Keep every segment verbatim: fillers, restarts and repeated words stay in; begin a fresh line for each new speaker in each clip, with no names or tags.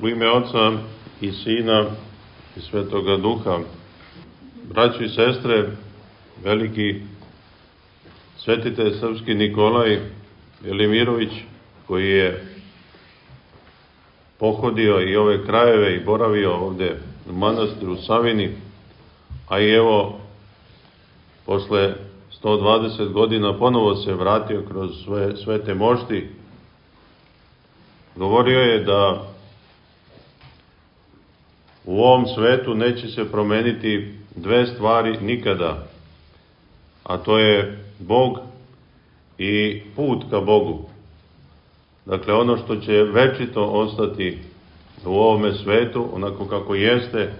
U ime Oca i Sina i Svetoga Duha. Braćo i sestre, veliki svetitelj srpski Nikolaj Velimirović, koji je pohodio i ove krajeve i boravio ovde u manastiru Savini, a i evo, posle sto dvadeset godina ponovo se vratio kroz svoje svete mošti, govorio je da u ovom svetu neće se promeniti dve stvari nikada, a to je Bog i put ka Bogu. Dakle, ono što će večito ostati u ovome svetu, onako kako jeste,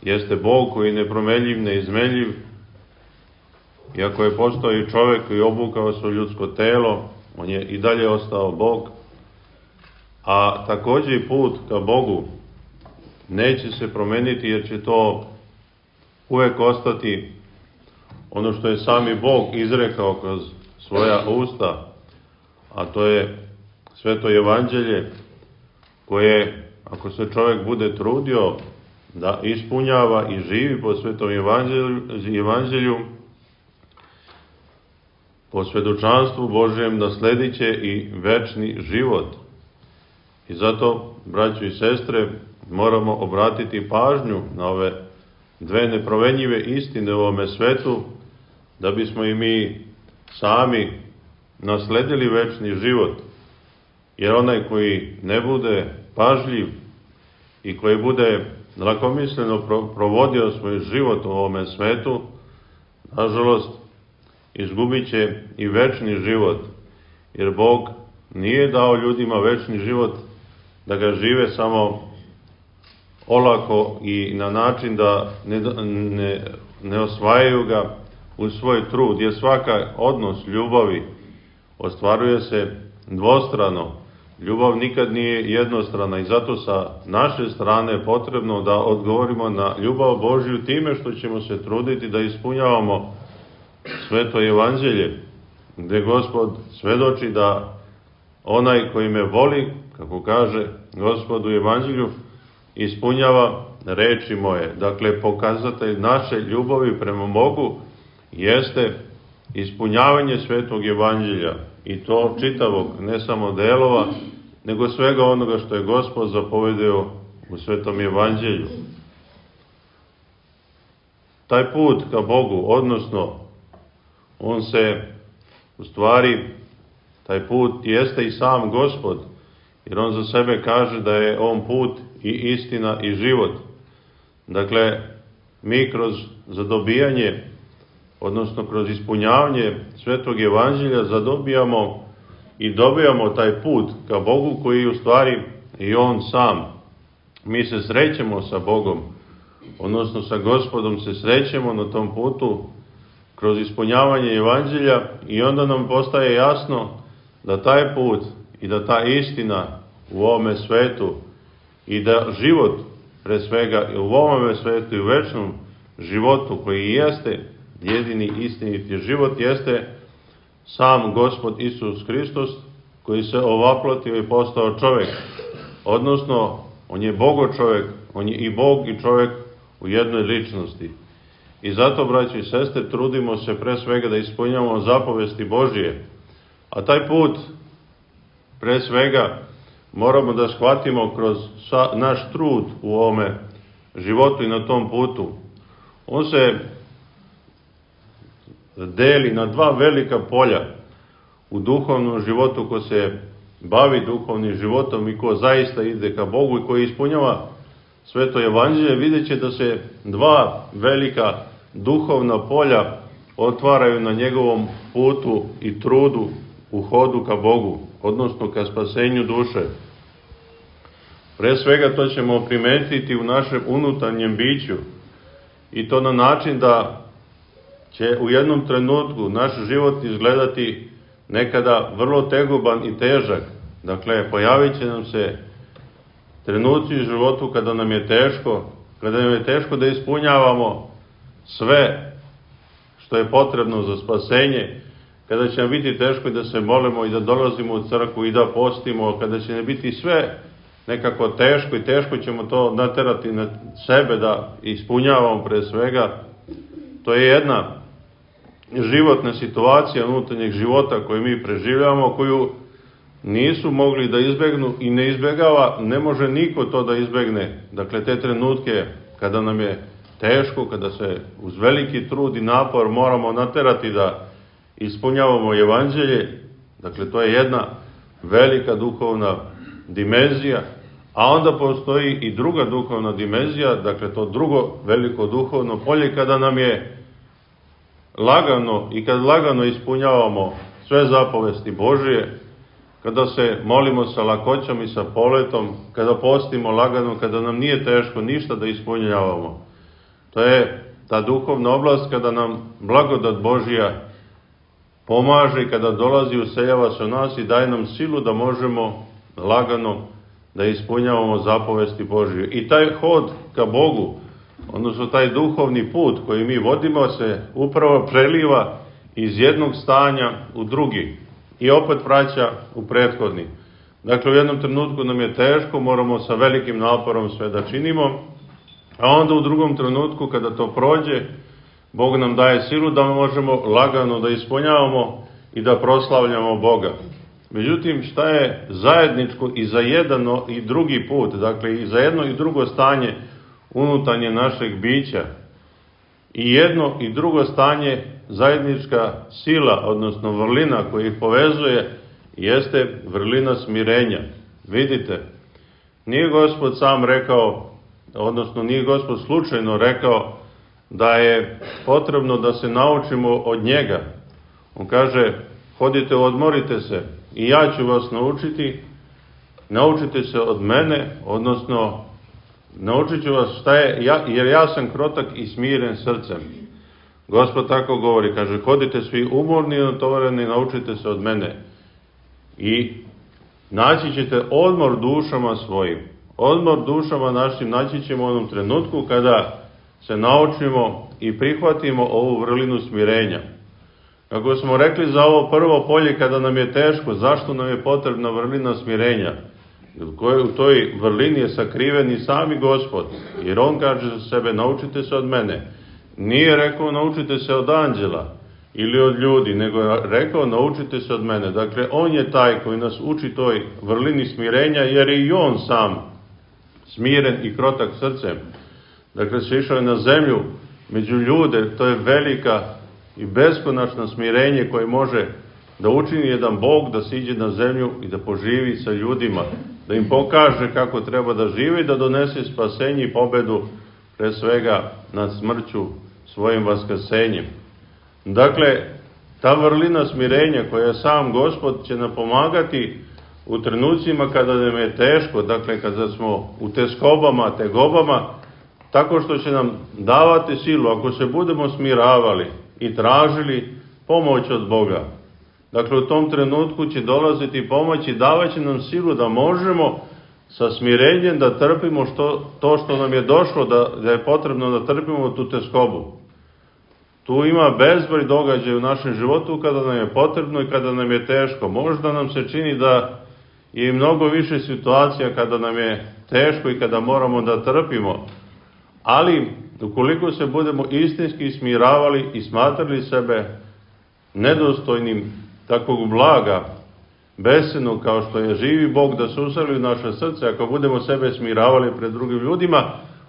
jeste Bog koji je nepromenljiv, neizmenljiv, iako je postao i čovek koji je obukao svoje ljudsko telo, on je i dalje ostao Bog, a takođe i put ka Bogu neće se promeniti, jer će to uvek ostati ono što je sami Bog izrekao kroz svoja usta, a to je Sveto Evanđelje, koje, ako se čovek bude trudio da ispunjava i živi po Svetom Evanđelju, evanđelju po svedočanstvu Božjem, nasledit će i večni život. I zato, braćo i sestre, moramo obratiti pažnju na ove dve nepromenjive istine u ovome svetu, da bismo i mi sami nasledili večni život. Jer onaj koji ne bude pažljiv i koji bude lakomisleno provodio svoj život u ovome svetu, nažalost, izgubit će i večni život. Jer Bog nije dao ljudima večni život da ga žive samo olako i na način da ne, ne, ne osvajaju ga u svoj trud, jer svaka odnos ljubavi ostvaruje se dvostrano. Ljubav nikad nije jednostrana i zato sa naše strane je potrebno da odgovorimo na ljubav Božju time što ćemo se truditi da ispunjavamo Sveto Evanđelje, gde Gospod svedoči da onaj koji me voli, kako kaže Gospod u Evanđelju, ispunjava reči moje. Dakle, pokazatelj naše ljubavi prema Bogu jeste ispunjavanje Svetog Evanđelja, i to čitavog, ne samo delova, nego svega onoga što je Gospod zapovedeo u Svetom Evanđelju. Taj put ka Bogu, odnosno, on se, u stvari, taj put jeste i sam Gospod, jer on za sebe kaže da je on put i istina i život. Dakle, mi kroz zadobijanje, odnosno kroz ispunjavanje Svetog Evanđelja zadobijamo i dobijamo taj put ka Bogu koji je u stvari i on sam. Mi se srećemo sa Bogom, odnosno sa Gospodom se srećemo na tom putu kroz ispunjavanje Evanđelja, i onda nam postaje jasno da taj put i da ta istina u ovome svetu i da život pre svega u ovome svetu i u večnom životu koji jeste jedini istiniti život jeste sam Gospod Isus Hristos, koji se ovaplatio i postao čovek. Odnosno, on je Bogo čovek, on je i Bog i čovek u jednoj ličnosti. I zato, braći i sestre, trudimo se pre svega da ispunjavamo zapovesti Božije. A taj put, pre svega, moramo da shvatimo kroz naš trud u ovome životu i na tom putu. On se deli na dva velika polja u duhovnom životu. Ko se bavi duhovnim životom i ko zaista ide ka Bogu i koji ispunjava Sveto Evanđelje, vidjet će da se dva velika duhovna polja otvaraju na njegovom putu i trudu u hodu ka Bogu, odnosno ka spasenju duše. Pre svega to ćemo primetiti u našem unutarnjem biću, i to na način da će u jednom trenutku naš život izgledati nekada vrlo tegoban i težak. Dakle, pojavit će nam se trenuci u životu kada nam je teško, kada nam je teško da ispunjavamo sve što je potrebno za spasenje, kada će nam biti teško da se molimo i da dolazimo u crkvu i da postimo, kada će nam biti sve nekako teško i teško ćemo to naterati na sebe da ispunjavamo pre svega. To je jedna životna situacija unutarnjeg života koju mi preživljavamo, koju nisu mogli da izbegnu i ne izbegava, ne može niko to da izbegne. Dakle, te trenutke kada nam je teško, kada se uz veliki trud i napor moramo naterati da ispunjavamo evanđelje, dakle, to je jedna velika duhovna dimenzija, a onda postoji i druga duhovna dimenzija, dakle, to drugo veliko duhovno polje, kada nam je lagano i kad lagano ispunjavamo sve zapovesti Božije, kada se molimo sa lakoćom i sa poletom, kada postimo lagano, kada nam nije teško ništa da ispunjavamo. To je ta duhovna oblast kada nam blagodat Božija pomaže i kada dolazi, useljava se u nas i daje nam silu da možemo lagano da ispunjavamo zapovesti Božije. I taj hod ka Bogu, odnosno taj duhovni put koji mi vodimo, se upravo preliva iz jednog stanja u drugi i opet vraća u prethodni. Dakle, u jednom trenutku nam je teško, moramo sa velikim naporom sve da činimo, a onda u drugom trenutku, kada to prođe, Bog nam daje silu da možemo lagano da ispunjavamo i da proslavljamo Boga. Međutim, šta je zajedničko i za jedan i drugi put, dakle i za jedno i drugo stanje unutarnje našeg bića, i jedno i drugo stanje, zajednička sila, odnosno vrlina koja ih povezuje, jeste vrlina smirenja. Vidite, nije Gospod sam rekao, odnosno nije Gospod slučajno rekao da je potrebno da se naučimo od njega. On kaže, hodite, odmorite se i ja ću vas naučiti, naučite se od mene, odnosno naučit ću vas šta je, ja, jer ja sam krotak i smiren srcem. Gospod tako govori, kaže, hodite svi umorni i natovareni, naučite se od mene. I naći ćete odmor dušama svojim. Odmor dušama našim naći ćemo u onom trenutku kada se naučimo i prihvatimo ovu vrlinu smirenja. Kako smo rekli za ovo prvo polje, kada nam je teško, zašto nam je potrebna vrlina smirenja? U toj vrlini je sakriven i sami Gospod, jer on kaže za sebe, naučite se od mene. Nije rekao, naučite se od anđela ili od ljudi, nego je rekao, naučite se od mene. Dakle, on je taj koji nas uči toj vrlini smirenja, jer je i on sam smiren i krotak srcem. Dakle, se išao je na zemlju među ljude, to je velika i beskonačna smirenje koje može da učini jedan Bog da siđe na zemlju i da poživi sa ljudima, da im pokaže kako treba da žive i da donese spasenje i pobedu pre svega nad smrću svojim vaskrsenjem. Dakle, ta vrlina smirenja koja sam Gospod će nam pomagati u trenucima kada nam je teško, dakle kada smo u teskobama, tegobama, tako što će nam davati silu ako se budemo smiravali i tražili pomoć od Boga. Dakle, u tom trenutku će dolaziti pomoć i davat će nam silu da možemo sa smirenjem da trpimo što, to što nam je došlo, da, da je potrebno da trpimo tu teskobu. Tu ima bezbroj događaja u našem životu kada nam je potrebno i kada nam je teško. Možda nam se čini da je i mnogo više situacija kada nam je teško i kada moramo da trpimo. Ali, ukoliko se budemo istinski smiravali i smatrali sebe nedostojnim takvog blaga, besenog kao što je živi Bog da se useli u naše srce, ako budemo sebe smiravali pred drugim ljudima,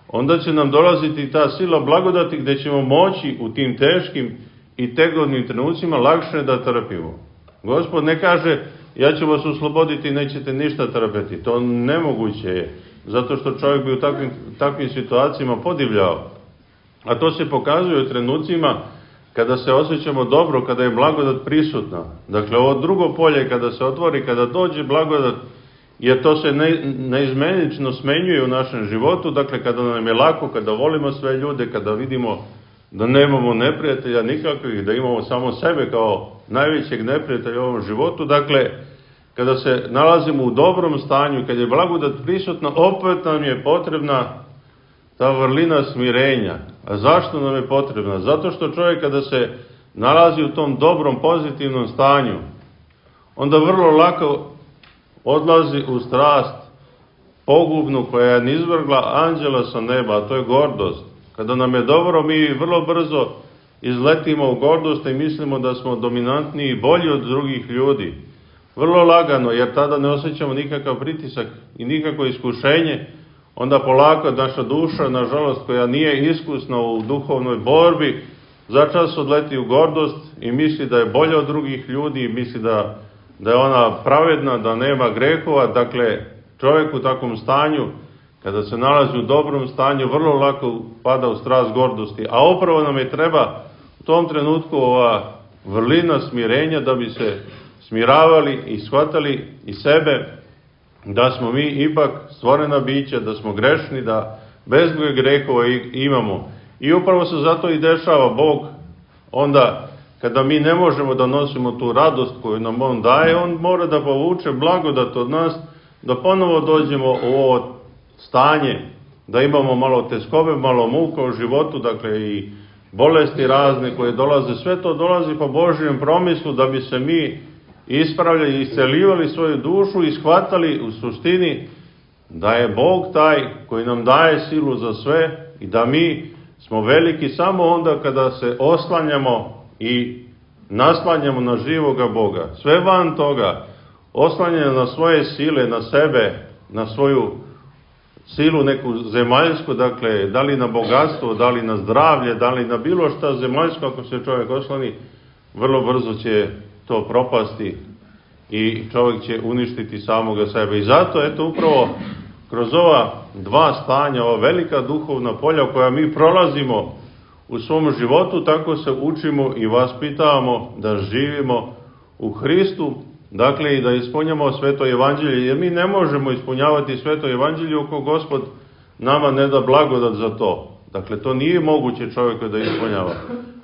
onda će nam dolaziti ta sila blagodati gde ćemo moći u tim teškim i tegovnim trenucima lakše da trpimo. Gospod ne kaže, ja ću vas osloboditi i nećete ništa trpeti. To nemoguće je, zato što čovjek bi u takvim, takvim situacijama podivljao. A to se pokazuje u trenucima kada se osjećamo dobro, kada je blagodat prisutna. Dakle, ovo drugo polje kada se otvori, kada dođe blagodat, jer to se ne, neizmenično smenjuje u našem životu, dakle, kada nam je lako, kada volimo sve ljude, kada vidimo da nemamo neprijatelja nikakvih, da imamo samo sebe kao najvećeg neprijatelja u ovom životu, dakle, kada se nalazimo u dobrom stanju, kada je blagodat prisutna, opet nam je potrebna ta vrlina smirenja. A zašto nam je potrebna? Zato što čovjek kada se nalazi u tom dobrom, pozitivnom stanju, onda vrlo lako odlazi u strast pogubnu koja je nizvrgla anđela sa neba, a to je gordost. Kada nam je dobro, mi vrlo brzo izletimo u gordost i mislimo da smo dominantniji i bolji od drugih ljudi. Vrlo lagano, jer tada ne osjećamo nikakav pritisak i nikakvo iskušenje, onda polako naša duša, nažalost, koja nije iskusna u duhovnoj borbi, začas odleti u gordost i misli da je bolja od drugih ljudi i misli da, da je ona pravedna, da nema grehova. Dakle, čovjek u takvom stanju, kada se nalazi u dobrom stanju, vrlo lako pada u strast gordosti. A upravo nam je treba u tom trenutku ova vrlina smirenja da bi se smiravali i shvatali i sebe da smo mi ipak stvorena bića, da smo grešni, da bezbroj grehova imamo. I upravo se zato i dešava Bog onda kada mi ne možemo da nosimo tu radost koju nam On daje, On mora da povuče blagodat od nas, da ponovo dođemo u ovo stanje, da imamo malo teskobe, malo muka u životu, dakle i bolesti razne koje dolaze, sve to dolazi po Božjem promislu da bi se mi ispravljali i iscelivali svoju dušu i shvatali u suštini da je Bog taj koji nam daje silu za sve i da mi smo veliki samo onda kada se oslanjamo i naslanjamo na živoga Boga. Sve van toga, oslanjanje na svoje sile, na sebe, na svoju silu neku zemaljsku, dakle, da li na bogatstvo, da li na zdravlje, da li na bilo šta zemaljsko, ako se čovjek osloni, vrlo brzo će to propasti i čovjek će uništiti samoga sebe. I zato, eto, upravo kroz ova dva stanja, ova velika duhovna polja koja mi prolazimo u svom životu, tako se učimo i vaspitavamo da živimo u Hristu, dakle i da ispunjamo sveto evanđelje, jer mi ne možemo ispunjavati sveto evanđelje ako Gospod nama ne da blagodat za to. Dakle, to nije moguće čovjeku da ispunjava.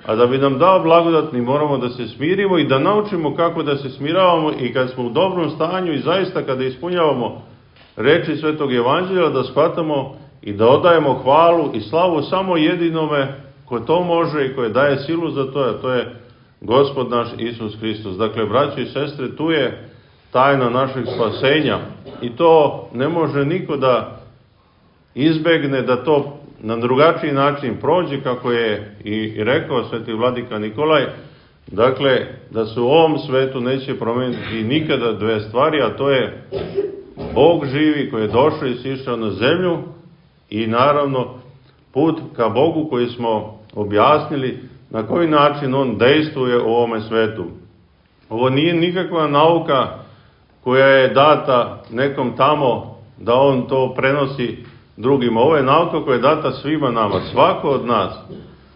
A da bi nam dao blagodat, mi moramo da se smirimo i da naučimo kako da se smiravamo i kad smo u dobrom stanju i zaista kada ispunjavamo reči svetog evanđelja, da shvatamo i da odajemo hvalu i slavu samo jedinome ko to može i koje daje silu za to, a to je Gospod naš Isus Hristos. Dakle, braći i sestre, tu je tajna našeg spasenja i to ne može niko da izbegne, da to na drugačiji način prođe, kako je i rekao sveti vladika Nikolaj, dakle, da se u ovom svetu neće promeniti nikada dve stvari, a to je Bog živi koji je došao i sišao na zemlju i naravno put ka Bogu koji smo objasnili na koji način On dejstvuje u ovome svetu. Ovo nije nikakva nauka koja je data nekom tamo da on to prenosi drugima. Ovo je nauka koja je data svima nama, svako od nas.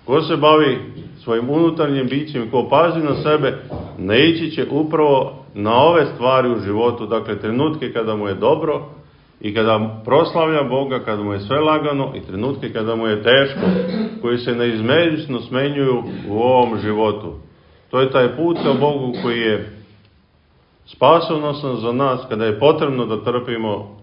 Ko se bavi svojim unutarnjim bićem, ko pazi na sebe, naići će upravo na ove stvari u životu, dakle trenutke kada mu je dobro i kada proslavlja Boga, kada mu je sve lagano i trenutke kada mu je teško, koji se neizmenično smenjuju u ovom životu. To je taj put ka Bogu koji je spasonosan za nas, kada je potrebno da trpimo,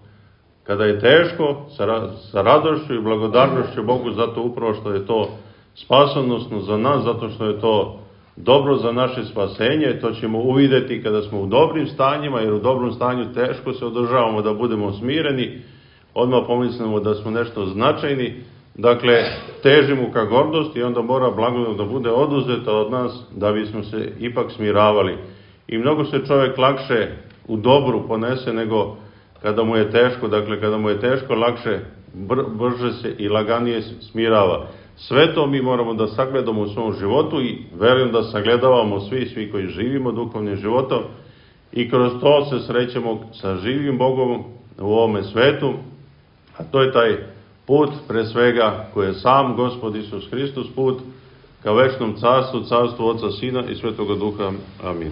kada je teško, sa, sa radošću i blagodarnošću Bogu, zato upravo što je to spasonosno za nas, zato što je to dobro za naše spasenje. To ćemo uvideti kada smo u dobrim stanjima, jer u dobrom stanju teško se održavamo da budemo smireni, odmah pomislimo da smo nešto značajni, dakle težimo ka gordosti i onda mora blagodat da bude oduzeta od nas da bismo se ipak smiravali. I mnogo se čovjek lakše u dobru ponese nego kada mu je teško, dakle kada mu je teško lakše, br brže se i laganije smirava. Sve to mi moramo da sagledamo u svom životu i verujem da sagledavamo svi, svi koji živimo duhovnim životom i kroz to se srećemo sa živim Bogom u ovome svetu, a to je taj put pre svega koji je sam Gospod Isus Hristos, put ka večnom carstvu, carstvu Oca, Sina i Svetoga Duha. Amin.